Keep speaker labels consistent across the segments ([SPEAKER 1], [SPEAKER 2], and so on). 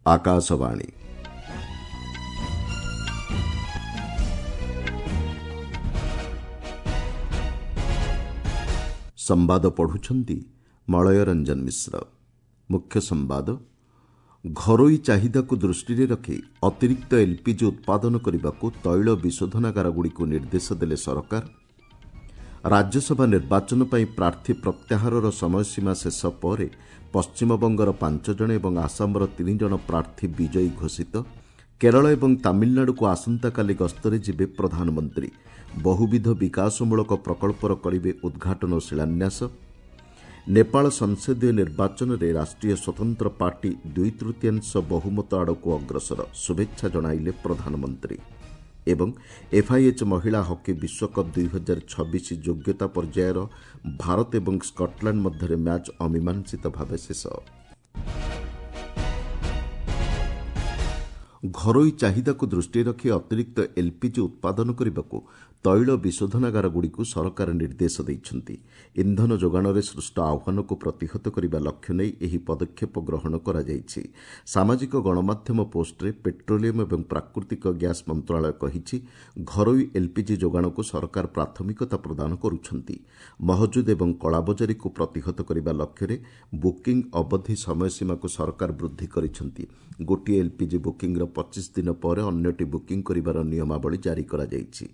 [SPEAKER 1] ଆକାଶବାଣୀ। ସମ୍ବାଦ ପଢ଼ୁଛନ୍ତି ମଳୟ ରଞ୍ଜନ ମିଶ୍ର। ମୁଖ୍ୟ ସମ୍ବାଦ। ଘରୋଇ ଚାହିଦାକୁ ଦୃଷ୍ଟିରେ ରଖି ଅତିରିକ୍ତ ଏଲ୍ପିଜି ଉତ୍ପାଦନ କରିବାକୁ ତୈଳ ବିଶୋଧନାଗାରଗୁଡ଼ିକୁ ନିର୍ଦ୍ଦେଶ ଦେଲେ ସରକାର। ରାଜ୍ୟସଭା ନିର୍ବାଚନ ପାଇଁ ପ୍ରାର୍ଥୀ ପ୍ରତ୍ୟାହାରର ସମୟସୀମା ଶେଷ ପରେ ପଶ୍ଚିମବଙ୍ଗର 5 ଜଣ ଏବଂ ଆସାମର 3 ଜଣ ପ୍ରାର୍ଥୀ ବିଜୟୀ ଘୋଷିତ। କେରଳ ଏବଂ ତାମିଲନାଡୁକୁ ଆସନ୍ତାକାଲି ଗସ୍ତରେ ଯିବେ ପ୍ରଧାନମନ୍ତ୍ରୀ। ବହୁବିଧ ବିକାଶମୂଳକ ପ୍ରକଳ୍ପର କରିବେ ଉଦ୍ଘାଟନ ଓ ଶିଳାନ୍ୟାସ। ନେପାଳ ସଂସଦୀୟ ନିର୍ବାଚନରେ ରାଷ୍ଟ୍ରୀୟ ସ୍ୱତନ୍ତ୍ର ପାର୍ଟି 2/3 ବହୁମତ ଆଡ଼କୁ ଅଗ୍ରସର, ଶୁଭେଚ୍ଛା ଜଣାଇଲେ ପ୍ରଧାନମନ୍ତ୍ରୀ। ଏବଂ ଏଫ୍ଆଇଏଚ୍ ମହିଳା ହକି ବିଶ୍ୱକପ୍ 2026 ଯୋଗ୍ୟତା ପର୍ଯ୍ୟାୟର ଭାରତ ଏବଂ ସ୍କଟଲ୍ୟାଣ୍ଡ ମଧ୍ୟରେ ମ୍ୟାଚ୍ ଅମୀମାଂସିତ ଭାବେ ଶେଷ। ଘରୋଇ ଚାହିଦାକୁ ଦୃଷ୍ଟିରେ ରଖି ଅତିରିକ୍ତ ଏଲ୍ପିଜି ଉତ୍ପାଦନ କରିବାକୁ ତୈଳ ବିଶୋଧନାଗାରଗୁଡ଼ିକୁ ସରକାର ନିର୍ଦ୍ଦେଶ ଦେଇଛନ୍ତି। ଇନ୍ଧନ ଯୋଗାଣରେ ସୃଷ୍ଟ ଆହ୍ୱାନକୁ ପ୍ରତିହତ କରିବା ଲକ୍ଷ୍ୟ ନେଇ ଏହି ପଦକ୍ଷେପ ଗ୍ରହଣ କରାଯାଇଛି। ସାମାଜିକ ଗଣମାଧ୍ୟମ ପୋଷ୍ଟରେ ପେଟ୍ରୋଲିୟମ୍ ଏବଂ ପ୍ରାକୃତିକ ଗ୍ୟାସ୍ ମନ୍ତ୍ରଣାଳୟ କହିଛି, ଘରୋଇ ଏଲ୍ପିଜି ଯୋଗାଣକୁ ସରକାର ପ୍ରାଥମିକତା ପ୍ରଦାନ କରୁଛନ୍ତି। ମହଜୁଦ ଏବଂ କଳାବଜାରୀକୁ ପ୍ରତିହତ କରିବା ଲକ୍ଷ୍ୟରେ ବୁକିଂ ଅବଧି ସମୟସୀମାକୁ ସରକାର ବୃଦ୍ଧି କରିଛନ୍ତି। ଗୋଟିଏ ଏଲ୍ପିଜି ବୁକିଂର 25 ଦିନ ପରେ ଅନ୍ୟଟି ବୁକିଂ କରିବାର ନିୟମାବଳୀ ଜାରି କରାଯାଇଛି।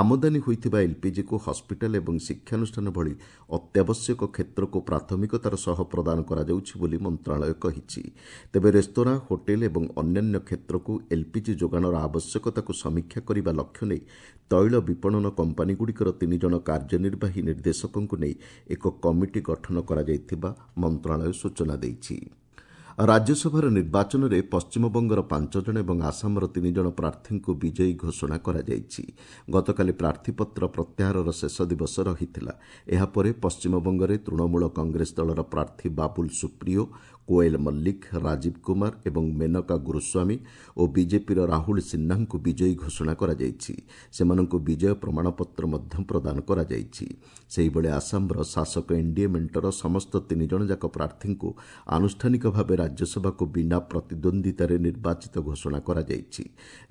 [SPEAKER 1] ଆମଦାନୀ ହୋଇଥିବା ଏଲ୍ପିଜିକୁ ହସ୍ପିଟାଲ ଏବଂ ଶିକ୍ଷାନୁଷ୍ଠାନ ଭଳି ଅତ୍ୟାବଶ୍ୟକ କ୍ଷେତ୍ରକୁ ପ୍ରାଥମିକତାର ସହ ପ୍ରଦାନ କରାଯାଉଛି ବୋଲି ମନ୍ତ୍ରଣାଳୟ କହିଛି। ତେବେ ରେସ୍ତୋରାଁ, ହୋଟେଲ ଏବଂ ଅନ୍ୟାନ୍ୟ କ୍ଷେତ୍ରକୁ ଏଲ୍ପିଜି ଯୋଗାଣର ଆବଶ୍ୟକତାକୁ ସମୀକ୍ଷା କରିବା ଲକ୍ଷ୍ୟ ନେଇ ତୈଳ ବିପଣନ କମ୍ପାନୀଗୁଡ଼ିକର 3 ଜଣ କାର୍ଯ୍ୟନିର୍ବାହୀ ନିର୍ଦ୍ଦେଶକଙ୍କୁ ନେଇ ଏକ କମିଟି ଗଠନ କରାଯାଇଥିବା ମନ୍ତ୍ରଣାଳୟ ସୂଚନା ଦେଇଛି। ରାଜ୍ୟସଭାର ନିର୍ବାଚନରେ ପଶ୍ଚିମବଙ୍ଗର 5 ଜଣ ଏବଂ ଆସାମର 3 ଜଣ ପ୍ରାର୍ଥୀଙ୍କୁ ବିଜୟୀ ଘୋଷଣା କରାଯାଇଛି। ଗତକାଲି ପ୍ରାର୍ଥୀପତ୍ର ପ୍ରତ୍ୟାହାରର ଶେଷ ଦିବସ ରହିଥିଲା। ଏହାପରେ ପଶ୍ଚିମବଙ୍ଗରେ ତୃଣମୂଳ କଂଗ୍ରେସ ଦଳର ପ୍ରାର୍ଥୀ ବାବୁଲ ସୁପ୍ରିୟୋ, କୋଏଲ ମଲ୍ଲିକ, ରାଜୀବ କୁମାର ଏବଂ ମେନକା ଗୁରୁସ୍ୱାମୀ ଓ ବିଜେପିର ରାହୁଲ ସିହ୍ନାଙ୍କୁ ବିଜୟୀ ଘୋଷଣା କରାଯାଇଛି। ସେମାନଙ୍କୁ ବିଜୟ ପ୍ରମାଣପତ୍ର ମଧ୍ୟ ପ୍ରଦାନ କରାଯାଇଛି। ସେହିଭଳି ଆସାମର ଶାସକ ଏନ୍ଡିଏ ମେଣ୍ଟର ସମସ୍ତ 3 ଜଣ ଯାକ ପ୍ରାର୍ଥୀଙ୍କୁ ଆନୁଷ୍ଠାନିକ ଭାବେ ରାଜ୍ୟସଭାକୁ ବିନା ପ୍ରତିଦ୍ୱନ୍ଦ୍ୱିତାରେ ନିର୍ବାଚିତ ଘୋଷଣା କରାଯାଇଛି।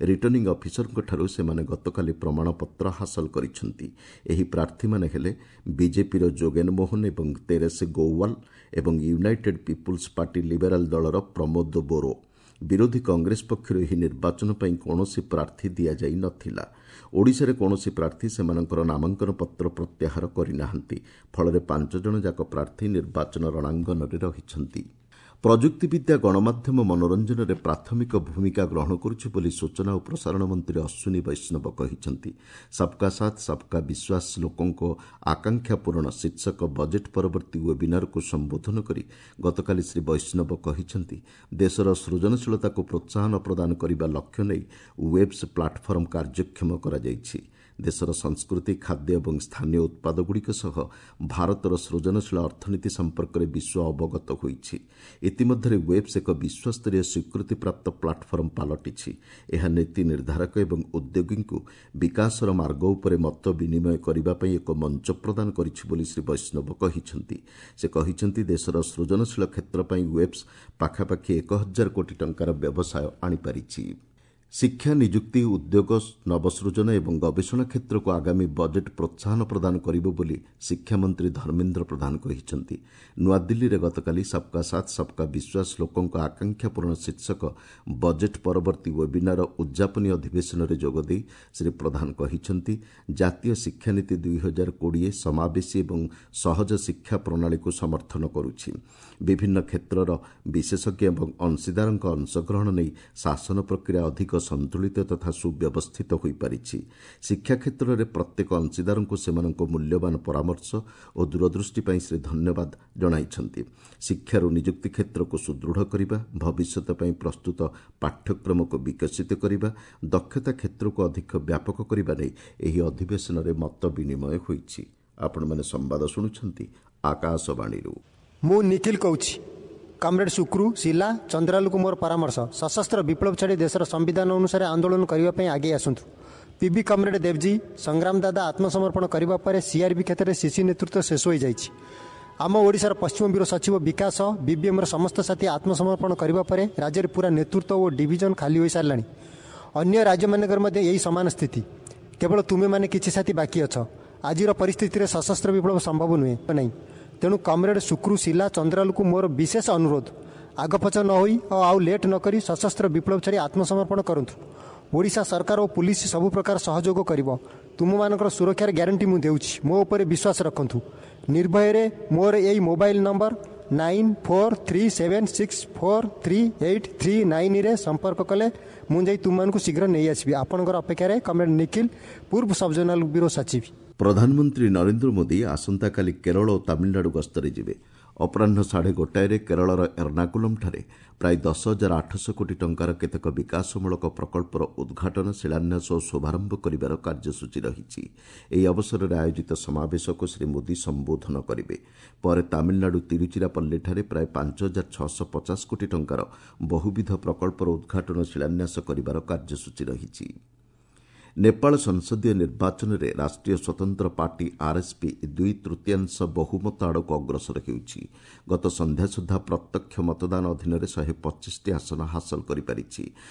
[SPEAKER 1] ରିଟର୍ଣ୍ଣିଂ ଅଫିସରଙ୍କଠାରୁ ସେମାନେ ଗତକାଲି ପ୍ରମାଣପତ୍ର ହାସଲ କରିଛନ୍ତି। ଏହି ପ୍ରାର୍ଥୀମାନେ ହେଲେ ବିଜେପିର ଯୋଗେନ ମୋହନ ଏବଂ ତେରେସ ଗୌୱାଲ ଏବଂ ୟୁନାଇଟେଡ୍ ପିପୁଲ୍ସ ପାର୍ଟି ଲିବେରାଲ ଦଳର ପ୍ରମୋଦ ବୋରୋ। ବିରୋଧୀ କଂଗ୍ରେସ ପକ୍ଷରୁ ଏହି ନିର୍ବାଚନ ପାଇଁ କୌଣସି ପ୍ରାର୍ଥୀ ଦିଆଯାଇ ନଥିଲା। ଓଡ଼ିଶାରେ କୌଣସି ପ୍ରାର୍ଥୀ ସେମାନଙ୍କର ନାମାଙ୍କନ ପତ୍ର ପ୍ରତ୍ୟାହାର କରିନାହାନ୍ତି। ଫଳରେ 5 ଜଣ ଯାକ ପ୍ରାର୍ଥୀ ନିର୍ବାଚନ ରଣାଙ୍ଗନରେ ରହିଛନ୍ତି। ପ୍ରଯୁକ୍ତିବିଦ୍ୟା ଗଣମାଧ୍ୟମ ମନୋରଞ୍ଜନରେ ପ୍ରାଥମିକ ଭୂମିକା ଗ୍ରହଣ କରୁଛି ବୋଲି ସୂଚନା ଓ ପ୍ରସାରଣ ମନ୍ତ୍ରୀ ଅଶ୍ୱିନୀ ବୈଷ୍ଣବ କହିଛନ୍ତି। ସବ୍କା ସାଥ୍ ସବ୍କା ବିଶ୍ୱାସ ଲୋକଙ୍କ ଆକାଂକ୍ଷା ପୂରଣ ଶୀର୍ଷକ ବଜେଟ୍ ପରବର୍ତ୍ତୀ ୱେବିନାରକୁ ସମ୍ବୋଧନ କରି ଗତକାଲି ଶ୍ରୀ ବୈଷ୍ଣବ କହିଛନ୍ତି, ଦେଶର ସୃଜନଶୀଳତାକୁ ପ୍ରୋତ୍ସାହନ ପ୍ରଦାନ କରିବା ଲକ୍ଷ୍ୟ ନେଇ ୱେବ୍ସ ପ୍ଲାଟଫର୍ମ କାର୍ଯ୍ୟକ୍ଷମ କରାଯାଇଛି। ଦେଶର ସଂସ୍କୃତି, ଖାଦ୍ୟ ଏବଂ ସ୍ଥାନୀୟ ଉତ୍ପାଦଗୁଡ଼ିକ ସହ ଭାରତର ସୃଜନଶୀଳ ଅର୍ଥନୀତି ସମ୍ପର୍କରେ ବିଶ୍ୱ ଅବଗତ ହୋଇଛି। ଇତିମଧ୍ୟରେ ୱେବ୍ସ ଏକ ବିଶ୍ୱସ୍ତରୀୟ ସ୍ୱୀକୃତିପ୍ରାପ୍ତ ପ୍ଲାଟଫର୍ମ ପାଲଟିଛି। ଏହା ନୀତି ନିର୍ଦ୍ଧାରକ ଏବଂ ଉଦ୍ୟୋଗୀଙ୍କୁ ବିକାଶର ମାର୍ଗ ଉପରେ ମତ ବିନିମୟ କରିବା ପାଇଁ ଏକ ମଞ୍ଚ ପ୍ରଦାନ କରିଛି ବୋଲି ଶ୍ରୀ ବୈଷ୍ଣବ କହିଛନ୍ତି। ସେ କହିଛନ୍ତି, ଦେଶର ସୃଜନଶୀଳ କ୍ଷେତ୍ର ପାଇଁ ୱେବ୍ସ ପାଖାପାଖି 1000 କୋଟି ଟଙ୍କାର ବ୍ୟବସାୟ ଆଣିପାରିଛି। ଶିକ୍ଷା, ନିଯୁକ୍ତି, ଉଦ୍ୟୋଗ, ନବସୃଜନ ଏବଂ ଗବେଷଣା କ୍ଷେତ୍ରକୁ ଆଗାମୀ ବଜେଟ୍ ପ୍ରୋତ୍ସାହନ ପ୍ରଦାନ କରିବ ବୋଲି ଶିକ୍ଷାମନ୍ତ୍ରୀ ଧର୍ମେନ୍ଦ୍ର ପ୍ରଧାନ କହିଛନ୍ତି। ନୂଆଦିଲ୍ଲୀରେ ଗତକାଲି ସବ୍କା ସାଥ୍ ସବ୍କା ବିଶ୍ୱାସ ଲୋକଙ୍କ ଆକାଂକ୍ଷା ପୂରଣ ଶୀର୍ଷକ ବଜେଟ୍ ପରବର୍ତ୍ତୀ ୱେବିନାର ଉଦ୍ଯାପନୀ ଅଧିବେଶନରେ ଯୋଗଦେଇ ଶ୍ରୀ ପ୍ରଧାନ କହିଛନ୍ତି, ଜାତୀୟ ଶିକ୍ଷାନୀତି 2020 ସମାବେଶୀ ଏବଂ ସହଜ ଶିକ୍ଷା ପ୍ରଣାଳୀକୁ ସମର୍ଥନ କରୁଛି। ବିଭିନ୍ନ କ୍ଷେତ୍ରର ବିଶେଷଜ୍ଞ ଏବଂ ଅଂଶୀଦାରଙ୍କ ଅଂଶଗ୍ରହଣ ନେଇ ଶାସନ ପ୍ରକ୍ରିୟା ଅଧିକ ସନ୍ତୁଳିତ ତଥା ସୁବ୍ୟବସ୍ଥିତ ହୋଇପାରିଛି। ଶିକ୍ଷା କ୍ଷେତ୍ରରେ ପ୍ରତ୍ୟେକ ଅଂଶୀଦାରଙ୍କୁ ସେମାନଙ୍କ ମୂଲ୍ୟବାନ ପରାମର୍ଶ ଓ ଦୂରଦୃଷ୍ଟି ପାଇଁ ଶ୍ରୀ ଧନ୍ୟବାଦ ଜଣାଇଛନ୍ତି। ଶିକ୍ଷାରୁ ନିଯୁକ୍ତି କ୍ଷେତ୍ରକୁ ସୁଦୃଢ଼ କରିବା, ଭବିଷ୍ୟତ ପାଇଁ ପ୍ରସ୍ତୁତ ପାଠ୍ୟକ୍ରମକୁ ବିକଶିତ କରିବା, ଦକ୍ଷତା କ୍ଷେତ୍ରକୁ ଅଧିକ ବ୍ୟାପକ କରିବା ନେଇ ଏହି ଅଧିବେଶନରେ ମତ ବିନିମୟ ହୋଇଛି। ଆପଣମାନେ ସମ୍ବାଦ ଶୁଣୁଛନ୍ତି ଆକାଶବାଣୀରୁ।
[SPEAKER 2] ମୁଁ ନିଖିଲ କହୁଛି। କମ୍ରେଡ୍ ସୁକ୍ରୁ, ଶିଲା, ଚନ୍ଦ୍ରାଲୁକୁ ମୋର ପରାମର୍ଶ, ସଶସ୍ତ୍ର ବିପ୍ଳବ ଛାଡ଼ି ଦେଶର ସମ୍ବିଧାନ ଅନୁସାରେ ଆନ୍ଦୋଳନ କରିବା ପାଇଁ ଆଗେଇ ଆସନ୍ତୁ। ପିବି କମ୍ରେଡ୍ ଦେବଜୀ, ସଂଗ୍ରାମ ଦାଦା ଆତ୍ମସମର୍ପଣ କରିବା ପରେ ସିଆର୍ପି କ୍ଷେତ୍ରରେ ସିସି ନେତୃତ୍ୱ ଶେଷ ହୋଇଯାଇଛି। ଆମ ଓଡ଼ିଶାର ପଶ୍ଚିମ ବ୍ୟୁରୋ ସଚିବ ବିକାଶ, ବିବିଏମ୍ର ସମସ୍ତ ସାଥୀ ଆତ୍ମସମର୍ପଣ କରିବା ପରେ ରାଜ୍ୟରେ ପୁରା ନେତୃତ୍ୱ ଓ ଡିଭିଜନ ଖାଲି ହୋଇସାରିଲାଣି। ଅନ୍ୟ ରାଜ୍ୟମାନଙ୍କରେ ମଧ୍ୟ ଏହି ସମାନ ସ୍ଥିତି। କେବଳ ତୁମେମାନେ କିଛି ସାଥୀ ବାକି ଅଛ। ଆଜିର ପରିସ୍ଥିତିରେ ସଶସ୍ତ୍ର ବିପ୍ଳବ ସମ୍ଭବ ନୁହେଁ ନାହିଁ। ତେଣୁ କମ୍ରେଡ୍ ସୁକ୍ରୁ, ଶିଲା, ଚନ୍ଦ୍ରାଲୁକୁ ମୋର ବିଶେଷ ଅନୁରୋଧ, ଆଗପଛ ନ ହୋଇ ଓ ଆଉ ଲେଟ୍ ନକରି ସଶସ୍ତ୍ର ବିପ୍ଳବ ଛାଡ଼ି ଆତ୍ମସମର୍ପଣ କରନ୍ତୁ। ଓଡ଼ିଶା ସରକାର ଓ ପୁଲିସ ସବୁ ପ୍ରକାର ସହଯୋଗ କରିବ। ତୁମମାନଙ୍କର ସୁରକ୍ଷାର ଗ୍ୟାରେଣ୍ଟି ମୁଁ ଦେଉଛି। ମୋ ଉପରେ ବିଶ୍ୱାସ ରଖନ୍ତୁ। ନିର୍ଭୟରେ ମୋର ଏଇ ମୋବାଇଲ ନମ୍ବର 9437643839ରେ ସମ୍ପର୍କ କଲେ ମୁଁ ଯାଇ ତୁମମାନଙ୍କୁ ଶୀଘ୍ର ନେଇ ଆସିବି। ଆପଣଙ୍କର ଅପେକ୍ଷାରେ କମ୍ରେଡ୍ ନିଖିଲ, ପୂର୍ବ ସବଜୋନାଲ ବ୍ୟୁରୋ ସଚିବ।
[SPEAKER 1] ପ୍ରଧାନମନ୍ତ୍ରୀ ନରେନ୍ଦ୍ର ମୋଦି ଆସନ୍ତାକାଲି କେରଳ ଓ ତାମିଲନାଡୁ ଗସ୍ତରେ ଯିବେ। ଅପରାହ୍ନ 1:30ରେ କେରଳର ଏର୍ଣ୍ଣାକୁଲମ୍ଠାରେ ପ୍ରାୟ 10,800 କୋଟି ଟଙ୍କାର କେତେକ ବିକାଶମୂଳକ ପ୍ରକଳ୍ପର ଉଦ୍ଘାଟନ, ଶିଳାନ୍ୟାସ ଓ ଶୁଭାରମ୍ଭ କରିବାର କାର୍ଯ୍ୟସୂଚୀ ରହିଛି। ଏହି ଅବସରରେ ଆୟୋଜିତ ସମାବେଶକୁ ଶ୍ରୀ ମୋଦି ସମ୍ବୋଧନ କରିବେ। ପରେ ତାମିଲନାଡୁ ତିରୁଚିରାପଲ୍ଲୀଠାରେ ପ୍ରାୟ 5,650 କୋଟି ଟଙ୍କାର ବହୁବିଧ ପ୍ରକଳ୍ପର ଉଦ୍ଘାଟନ, ଶିଳାନ୍ୟାସ କରିବାର କାର୍ଯ୍ୟସୂଚୀ ରହିଛି। ନେପାଳ ସଂସଦୀୟ ନିର୍ବାଚନରେ ରାଷ୍ଟ୍ରୀୟ ସ୍ୱତନ୍ତ୍ର ପାର୍ଟି ଆର୍ଏସ୍ପି 2/3 ବହୁମତ ଆଡ଼କୁ ଅଗ୍ରସର ହେଉଛି। ଗତ ସନ୍ଧ୍ୟା ସୁଦ୍ଧା ପ୍ରତ୍ୟକ୍ଷ ମତଦାନ ଅଧୀନରେ 125ଟି ଆସନ ହାସଲ କରିପାରିଛି।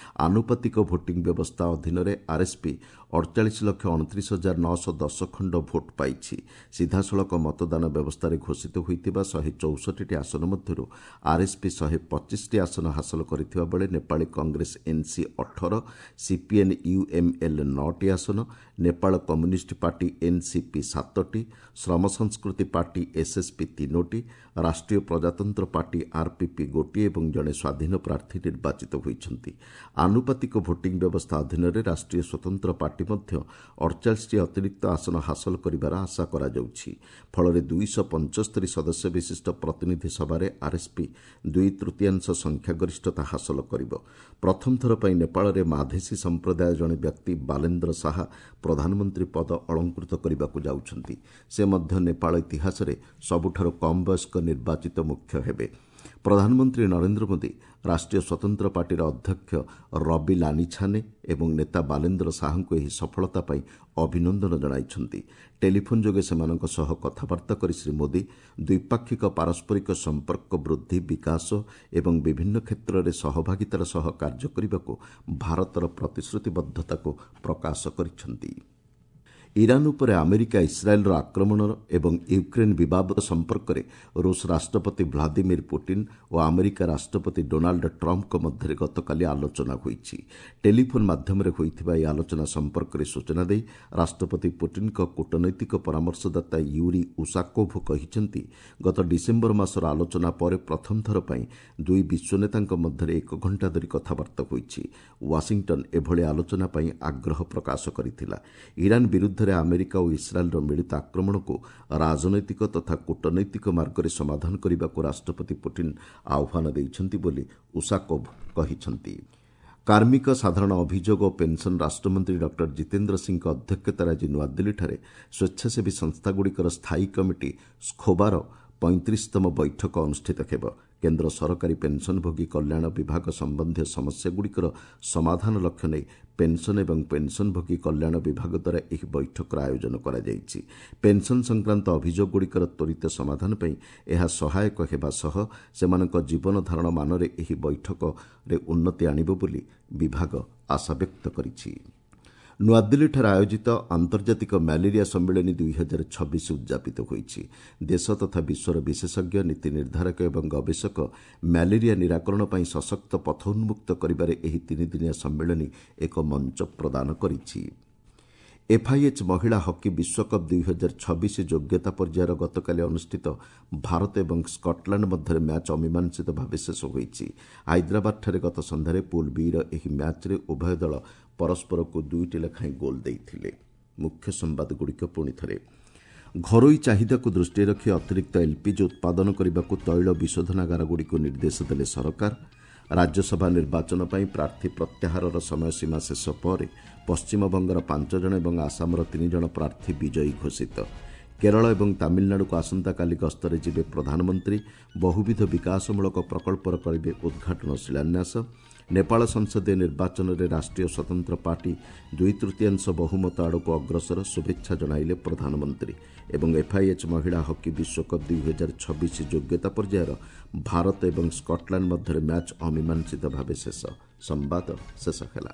[SPEAKER 1] ଆନୁପାତିକ ଭୋଟିଂ ବ୍ୟବସ୍ଥା ଅଧୀନରେ ଆର୍ଏସ୍ପି 48,29,910 ଖଣ୍ଡ ଭୋଟ୍ ପାଇଛି। ସିଧାସଳଖ ମତଦାନ ବ୍ୟବସ୍ଥାରେ ଘୋଷିତ ହୋଇଥିବା 164ଟି ଆସନ ମଧ୍ୟରୁ ଆର୍ଏସ୍ପି 125ଟି ଆସନ ହାସଲ କରିଥିବା ବେଳେ ନେପାଳୀ କଂଗ୍ରେସ ଏନ୍ସି 18, ସିପିଏନ୍ ୟୁଏମ୍ଏଲ୍ 9ଟି ଆସନ, ନେପାଳ କମ୍ୟୁନିଷ୍ଟ ପାର୍ଟି ଏନ୍ସିପି 7ଟି, ଶ୍ରମ ସଂସ୍କୃତି ପାର୍ଟି ଏସ୍ଏସ୍ପି 3ଟି, ରାଷ୍ଟ୍ରୀୟ ପ୍ରଜାତନ୍ତ୍ର ପାର୍ଟି ଆର୍ପିପି 1 ଏବଂ ଜଣେ ସ୍ୱାଧୀନ ପ୍ରାର୍ଥୀ ନିର୍ବାଚିତ ହୋଇଛନ୍ତି। ଆନୁପାତିକ ଭୋଟିଂ ବ୍ୟବସ୍ଥା ଅଧୀନରେ ରାଷ୍ଟ୍ରୀୟ ସ୍ୱତନ୍ତ୍ର ପାର୍ଟି ମଧ୍ୟ 48ଟି ଅତିରିକ୍ତ ଆସନ ହାସଲ କରିବାର ଆଶା କରାଯାଉଛି। ଫଳରେ 275 ସଦସ୍ୟ ବିଶିଷ୍ଟ ପ୍ରତିନିଧି ସଭାରେ ଆର୍ଏସ୍ପି 2/3 ସଂଖ୍ୟାଗରିଷ୍ଠତା ହାସଲ କରିବ। ପ୍ରଥମ ଥର ପାଇଁ ନେପାଳରେ ମାଧେସୀ ସମ୍ପ୍ରଦାୟ ଜଣେ ବ୍ୟକ୍ତି ବାଲେନ୍ଦ୍ର ଶାହା ପ୍ରଧାନମନ୍ତ୍ରୀ ପଦ ଅଳଙ୍କୃତ କରିବାକୁ ଯାଉଛନ୍ତି। ସେ ମଧ୍ୟ ନେପାଳ ଇତିହାସରେ ସବୁଠାରୁ କମ୍ ବୟସ୍କ ନିର୍ବାଚିତ ମୁଖ୍ୟ ହେବେ। ପ୍ରଧାନମନ୍ତ୍ରୀ ନରେନ୍ଦ୍ର ମୋଦି ରାଷ୍ଟ୍ରୀୟ ସ୍ୱତନ୍ତ୍ର ପାର୍ଟିର ଅଧ୍ୟକ୍ଷ ରବି ଲାନିଛାନେ ଏବଂ ନେତା ବାଲେନ୍ଦ୍ର ଶାହାଙ୍କୁ ଏହି ସଫଳତା ପାଇଁ ଅଭିନନ୍ଦନ ଜଣାଇଛନ୍ତି। ଟେଲିଫୋନ୍ ଯୋଗେ ସେମାନଙ୍କ ସହ କଥାବାର୍ତ୍ତା କରି ଶ୍ରୀ ମୋଦି ଦ୍ୱିପାକ୍ଷିକ ପାରସ୍ପରିକ ସମ୍ପର୍କ ବୃଦ୍ଧି, ବିକାଶ ଏବଂ ବିଭିନ୍ନ କ୍ଷେତ୍ରରେ ସହଭାଗିତାର ସହ କାର୍ଯ୍ୟ କରିବାକୁ ଭାରତର ପ୍ରତିଶ୍ରୁତିବଦ୍ଧତାକୁ ପ୍ରକାଶ କରିଛନ୍ତି। ଇରାନ୍ ଉପରେ ଆମେରିକା ଇସ୍ରାଏଲ୍ର ଆକ୍ରମଣ ଏବଂ ୟୁକ୍ରେନ୍ ବିବାଦ ସମ୍ପର୍କରେ ରୁଷ ରାଷ୍ଟ୍ରପତି ଭ୍ଲାଦିମିର୍ ପୁଟିନ୍ ଓ ଆମେରିକା ରାଷ୍ଟ୍ରପତି ଡୋନାଲ୍ଡ ଟ୍ରମ୍ପଙ୍କ ମଧ୍ୟରେ ଗତକାଲି ଆଲୋଚନା ହୋଇଛି। ଟେଲିଫୋନ୍ ମାଧ୍ୟମରେ ହୋଇଥିବା ଏହି ଆଲୋଚନା ସମ୍ପର୍କରେ ସୂଚନା ଦେଇ ରାଷ୍ଟ୍ରପତି ପୁଟିନ୍ଙ୍କ କୂଟନୈତିକ ପରାମର୍ଶଦାତା ୟୁରି ଉଷାକୋଭ୍ କହିଛନ୍ତି, ଗତ ଡିସେମ୍ବର ମାସର ଆଲୋଚନା ପରେ ପ୍ରଥମ ଥର ପାଇଁ ଦୁଇ ବିଶ୍ୱନେତାଙ୍କ ମଧ୍ୟରେ 1 ଘଣ୍ଟା ଧରି କଥାବାର୍ତ୍ତା ହୋଇଛି। ୱାଶିଂଟନ୍ ଏଭଳି ଆଲୋଚନା ପାଇଁ ଆଗ୍ରହ ପ୍ରକାଶ କରିଥିଲା। ଇରାନ୍ ବିରୁଦ୍ଧରେ ଆମେରିକା ଓ ଇସ୍ରାଏଲ୍ର ମିଳିତ ଆକ୍ରମଣକୁ ରାଜନୈତିକ ତଥା କୂଟନୈତିକ ମାର୍ଗରେ ସମାଧାନ କରିବାକୁ ରାଷ୍ଟ୍ରପତି ପୁଟିନ୍ ଆହ୍ୱାନ ଦେଇଛନ୍ତି ବୋଲି ଉଷାକୋଭ୍ କହିଛନ୍ତି। କାର୍ମିକ, ସାଧାରଣ ଅଭିଯୋଗ ଓ ପେନ୍ସନ୍ ରାଷ୍ଟ୍ରମନ୍ତ୍ରୀ ଡକ୍ଟର ଜିତେନ୍ଦ୍ର ସିଂଙ୍କ ଅଧ୍ୟକ୍ଷତାରେ ଆଜି ନୂଆଦିଲ୍ଲୀଠାରେ ସ୍ୱେଚ୍ଛାସେବୀ ସଂସ୍ଥାଗୁଡ଼ିକର ସ୍ଥାୟୀ କମିଟି ସ୍ଖୋବାର 35ତମ ବୈଠକ ଅନୁଷ୍ଠିତ ହେବ। କେନ୍ଦ୍ର ସରକାରୀ ପେନ୍ସନ୍ଭୋଗୀ କଲ୍ୟାଣ ବିଭାଗ ସମ୍ବନ୍ଧୀୟ ସମସ୍ୟାଗୁଡ଼ିକର ସମାଧାନ ଲକ୍ଷ୍ୟ ନେଇ ପେନ୍ସନ୍ ଏବଂ ପେନ୍ସନ୍ଭୋଗୀ କଲ୍ୟାଣ ବିଭାଗ ଦ୍ୱାରା ଏହି ବୈଠକର ଆୟୋଜନ କରାଯାଇଛି। ପେନ୍ସନ୍ ସଂକ୍ରାନ୍ତ ଅଭିଯୋଗଗୁଡ଼ିକର ତ୍ୱରିତ ସମାଧାନ ପାଇଁ ଏହା ସହାୟକ ହେବା ସହ ସେମାନଙ୍କ ଜୀବନଧାରଣ ମାନରେ ଏହି ବୈଠକରେ ଉନ୍ନତି ଆଣିବ ବୋଲି ବିଭାଗ ଆଶାବ୍ୟକ୍ତ କରିଛି। ନୂଆଦିଲ୍ଲୀଠାରେ ଆୟୋଜିତ ଆନ୍ତର୍ଜାତିକ ମ୍ୟାଲେରିଆ ସମ୍ମିଳନୀ 2026 ଉଦ୍ଯାପିତ ହୋଇଛି। ଦେଶ ତଥା ବିଶ୍ୱର ବିଶେଷଜ୍ଞ, ନୀତି ନିର୍ଦ୍ଧାରକ ଏବଂ ଗବେଷକ ମ୍ୟାଲେରିଆ ନିରାକରଣ ପାଇଁ ସଶକ୍ତ ପଥ ଉନ୍ମୁକ୍ତ କରିବାରେ ଏହି 3 ଦିନିଆ ସମ୍ମିଳନୀ ଏକ ମଞ୍ଚ ପ୍ରଦାନ କରିଛି। ଏଫ୍ଆଇଏଚ୍ ମହିଳା ହକି ବିଶ୍ୱକପ୍ 2026 ଯୋଗ୍ୟତା ପର୍ଯ୍ୟାୟର ଗତକାଲି ଅନୁଷ୍ଠିତ ଭାରତ ଏବଂ ସ୍କଟଲାଣ୍ଡ ମଧ୍ୟରେ ମ୍ୟାଚ୍ ଅମୀମାଂସିତ ଭାବେ ଶେଷ ହୋଇଛି। ହାଇଦ୍ରାବାଦଠାରେ ଗତ ସନ୍ଧ୍ୟାରେ ପୁଲ୍ ବି'ର ଏହି ମ୍ୟାଚ୍ରେ ଉଭୟ ଦଳ ପରସ୍ପରକୁ 2ଟି ଲେଖାଏଁ ଗୋଲ୍ ଦେଇଥିଲେ। ମୁଖ୍ୟ ସମ୍ବାଦଗୁଡ଼ିକ ପୁଣି ଥରେ। ଘରୋଇ ଚାହିଦାକୁ ଦୃଷ୍ଟିରେ ରଖି ଅତିରିକ୍ତ ଏଲ୍ପିଜି ଉତ୍ପାଦନ କରିବାକୁ ତୈଳ ବିଶୋଧନାଗାରଗୁଡ଼ିକୁ ନିର୍ଦ୍ଦେଶ ଦେଲେ ସରକାର। ରାଜ୍ୟସଭା ନିର୍ବାଚନ ପାଇଁ ପ୍ରାର୍ଥୀ ପ୍ରତ୍ୟାହାରର ସମୟସୀମା ଶେଷ ପରେ ପଶ୍ଚିମବଙ୍ଗର 5 ଜଣ ଏବଂ ଆସାମର 3 ଜଣ ପ୍ରାର୍ଥୀ ବିଜୟୀ ଘୋଷିତ। କେରଳ ଏବଂ ତାମିଲନାଡୁକୁ ଆସନ୍ତାକାଲି ଗସ୍ତରେ ଯିବେ ପ୍ରଧାନମନ୍ତ୍ରୀ। ବହୁବିଧ ବିକାଶମୂଳକ ପ୍ରକଳ୍ପର କରିବେ ଉଦ୍ଘାଟନ, ଶିଳାନ୍ୟାସ। ନେପାଳ ସଂସଦୀୟ ନିର୍ବାଚନରେ ରାଷ୍ଟ୍ରୀୟ ସ୍ୱତନ୍ତ୍ର ପାର୍ଟି 2/3 ବହୁମତ ଆଡ଼କୁ ଅଗ୍ରସର, ଶୁଭେଚ୍ଛା ଜଣାଇଲେ ପ୍ରଧାନମନ୍ତ୍ରୀ। ଏବଂ ଏଫ୍ଆଇଏଚ୍ ମହିଳା ହକି ବିଶ୍ୱକପ୍ 2026 ଯୋଗ୍ୟତା ପର୍ଯ୍ୟାୟର ଭାରତ ଏବଂ ସ୍କଟଲ୍ୟାଣ୍ଡ ମଧ୍ୟରେ ମ୍ୟାଚ୍ ଅମୀମାଂସିତ ଭାବେ ଶେଷ। ସମ୍ବାଦ ଶେଷ ହେଲା।